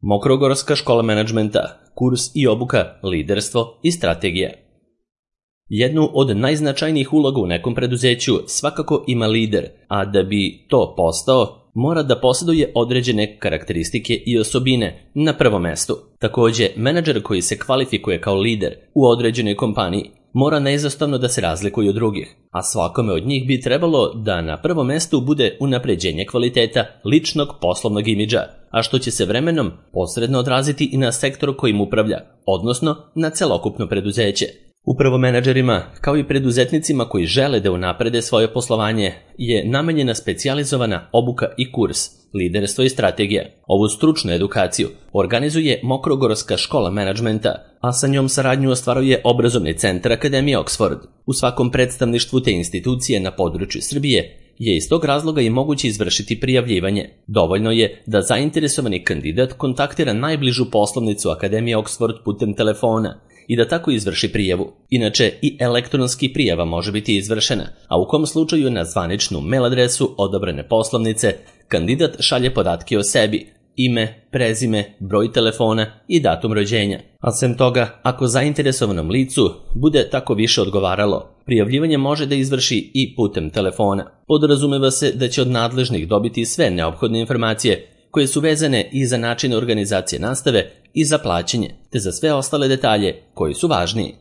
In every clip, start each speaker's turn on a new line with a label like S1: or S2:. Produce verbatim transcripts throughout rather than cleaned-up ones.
S1: Mokrogorska škola menadžmenta, kurs i obuka, liderstvo i strategija. Jednu od najznačajnijih uloga u nekom preduzeću svakako ima lider, a da bi to postao, mora da posjeduje određene karakteristike i osobine na prvom mestu. Također, menadžer koji se kvalifikuje kao lider u određenoj kompaniji mora neizostavno da se razlikuje od drugih, a svakome od njih bi trebalo da na prvom mestu bude unapređenje kvaliteta ličnog poslovnog imidža, a što će se vremenom posredno odraziti i na sektor kojim upravlja, odnosno na celokupno preduzeće. Upravo menadžerima, kao i preduzetnicima koji žele da unaprede svoje poslovanje, je namenjena specijalizovana obuka i kurs, liderstvo i strategija. Ovu stručnu edukaciju organizuje Mokrogorska škola menadžmenta, a sa njom saradnju ostvaruje obrazovni centar Akademije Oxford. U svakom predstavništvu te institucije na području Srbije je iz tog razloga i moguće izvršiti prijavljivanje. Dovoljno je da zainteresovani kandidat kontaktira najbližu poslovnicu Akademije Oxford putem telefona i da tako izvrši prijavu. Inače, i elektronski prijava može biti izvršena, a u kom slučaju na zvaničnu mail adresu odabrane poslovnice kandidat šalje podatke o sebi, ime, prezime, broj telefona i datum rođenja. A sem toga, ako zainteresovanom licu bude tako više odgovaralo, prijavljivanje može da izvrši i putem telefona. Podrazumeva se da će od nadležnih dobiti sve neophodne informacije koje su vezane i za način organizacije nastave i za plaćanje, te za sve ostale detalje koji su važniji.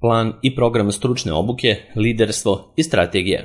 S1: Plan i program stručne obuke, liderstvo i strategija.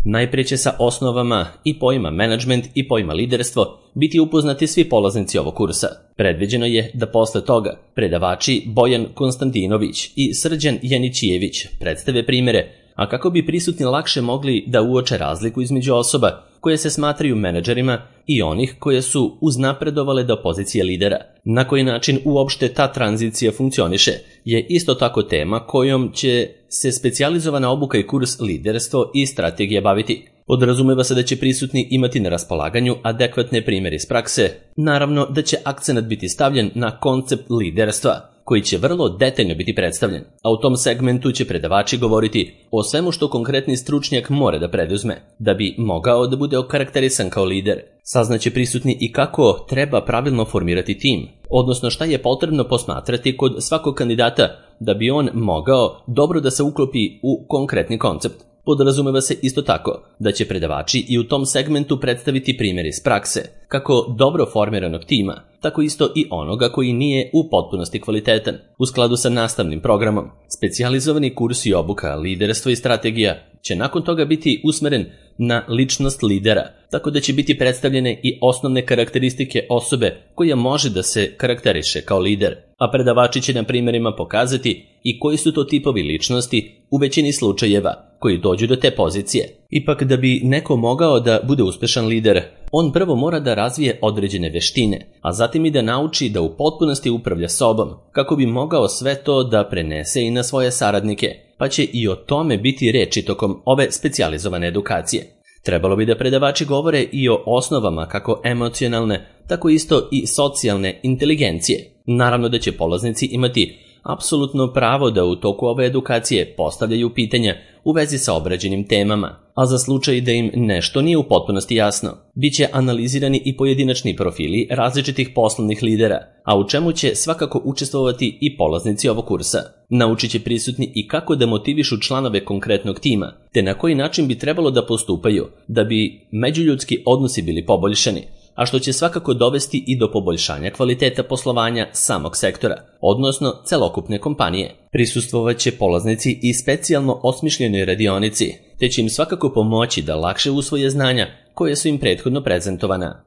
S1: Najprije će sa osnovama i pojma menadžment i pojma liderstvo biti upoznati svi polaznici ovog kursa. Predviđeno je da posle toga predavači Bojan Konstantinović i Srđan Janićijević predstave primjere, a kako bi prisutni lakše mogli da uoče razliku između osoba koje se smatraju menadžerima i onih koje su uznapredovale do pozicije lidera. Na koji način uopšte ta tranzicija funkcioniše je isto tako tema kojom će se specijalizovana obuka i kurs liderstvo i strategija baviti. Podrazumeva se da će prisutni imati na raspolaganju adekvatne primjere iz prakse, naravno da će akcenat biti stavljen na koncept liderstva, koji će vrlo detaljno biti predstavljen, a u tom segmentu će predavači govoriti o svemu što konkretni stručnjak mora da preduzme, da bi mogao da bude okarakterisan kao lider. Saznaće prisutni i kako treba pravilno formirati tim, odnosno šta je potrebno posmatrati kod svakog kandidata da bi on mogao dobro da se uklopi u konkretni koncept. Podrazumeva se isto tako da će predavači i u tom segmentu predstaviti primjer iz prakse, kako dobro formiranog tima, tako isto i onoga koji nije u potpunosti kvalitetan. U skladu sa nastavnim programom, specijalizovani kurs i obuka, liderstvo i strategija će nakon toga biti usmeren na ličnost lidera, tako da će biti predstavljene i osnovne karakteristike osobe koja može da se karakteriše kao lider, a predavači će na primjerima pokazati i koji su to tipovi ličnosti u većini slučajeva koji dođu do te pozicije. Ipak da bi neko mogao da bude uspešan lider, on prvo mora da razvije određene veštine, a zatim i da nauči da u potpunosti upravlja sobom, kako bi mogao sve to da prenese i na svoje saradnike, pa će i o tome biti reči tokom ove specijalizovane edukacije. Trebalo bi da predavači govore i o osnovama kako emocionalne, tako isto i socijalne inteligencije. Naravno da će polaznici imati apsolutno pravo da u toku ove edukacije postavljaju pitanja u vezi sa obrađenim temama, a za slučaj da im nešto nije u potpunosti jasno, bit će analizirani i pojedinačni profili različitih poslovnih lidera, a u čemu će svakako učestvovati i polaznici ovog kursa. Naučit će prisutni i kako da motivišu članove konkretnog tima, te na koji način bi trebalo da postupaju da bi međuljudski odnosi bili poboljšani, a što će svakako dovesti i do poboljšanja kvaliteta poslovanja samog sektora, odnosno celokupne kompanije. Prisustvovat će polaznici i specijalno osmišljenoj radionici, te će im svakako pomoći da lakše usvoje znanja koje su im prethodno prezentovana.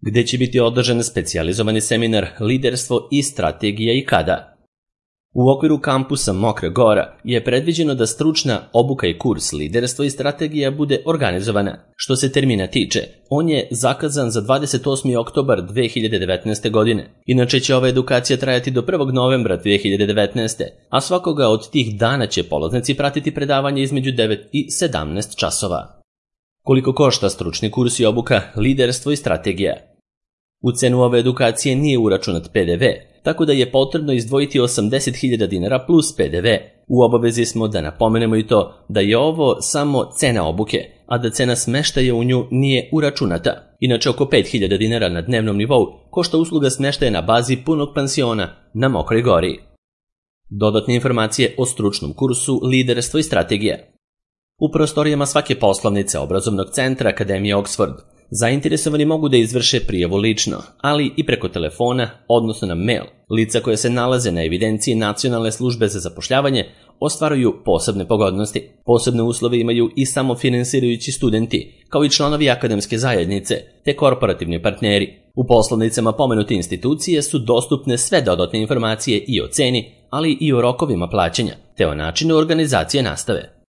S1: Gde će biti održan specijalizovani seminar liderstvo i strategija i kada? U okviru kampusa Mokra Gora je predviđeno da stručna obuka i kurs liderstvo i strategija bude organizovana. Što se termina tiče, on je zakazan za dvadeset osmi oktobar dve hiljade devetnaeste. godine. Inače će ova edukacija trajati do prvog novembra dve hiljade devetnaeste. a svakoga od tih dana će polaznici pratiti predavanje između devet i sedamnaest časova. Koliko košta stručni kurs i obuka, liderstvo i strategija? U cenu ove edukacije nije uračunat P D V, tako da je potrebno izdvojiti osamdeset hiljada dinara plus P D V. U obavezi smo da napomenemo i to da je ovo samo cena obuke, a da cena smeštaja u nju nije uračunata. Inače, oko pet hiljada dinara na dnevnom nivou košta usluga smeštaja na bazi punog pansiona na Mokroj Gori. Dodatne informacije o stručnom kursu Liderstvo i strategija. U prostorijama svake poslovnice obrazovnog centra Akademije Oxford zainteresovani mogu da izvrše prijavu lično, ali i preko telefona, odnosno na mail. Lica koje se nalaze na evidenciji Nacionalne službe za zapošljavanje ostvaruju posebne pogodnosti. Posebne uslove imaju i samofinansirajući studenti, kao i članovi akademske zajednice, te korporativni partneri. U poslovnicama pomenute institucije su dostupne sve dodatne informacije i o ceni, ali i o rokovima plaćanja, te o načinu organizacije nastave.